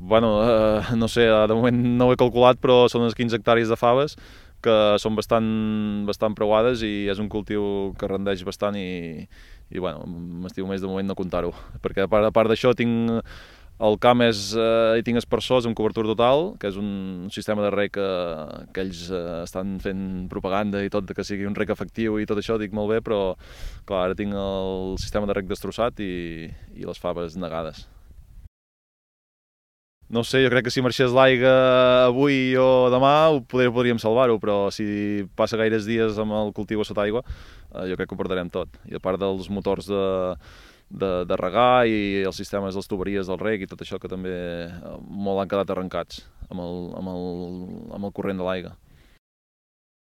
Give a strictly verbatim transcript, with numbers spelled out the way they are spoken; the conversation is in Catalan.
Bueno, eh, no sé, de moment no ho he calculat, però són unes quinze hectàrees de faves que són bastant, bastant preuades i és un cultiu que rendeix bastant i, i bueno, m'estimo més de moment no comptar-ho, perquè a part, a part d'això tinc el camp és, eh, hi tinc aspersors amb cobertura total, que és un sistema de reg que, que ells eh, estan fent propaganda i tot, que sigui un reg efectiu i tot això, dic molt bé, però clar, ara tinc el sistema de reg destrossat i, i les faves negades. No sé, jo crec que si marxés l'aigua avui o demà ho podríem, podríem salvar-ho, però si passa gaires dies amb el cultiu a sota aigua, eh, jo crec que ho perdrem tot. I a part dels motors de, de, de regar i els sistemes de les tuberies del reg i tot això que també eh, molt han quedat arrencats amb el, amb el, amb el corrent de l'aigua.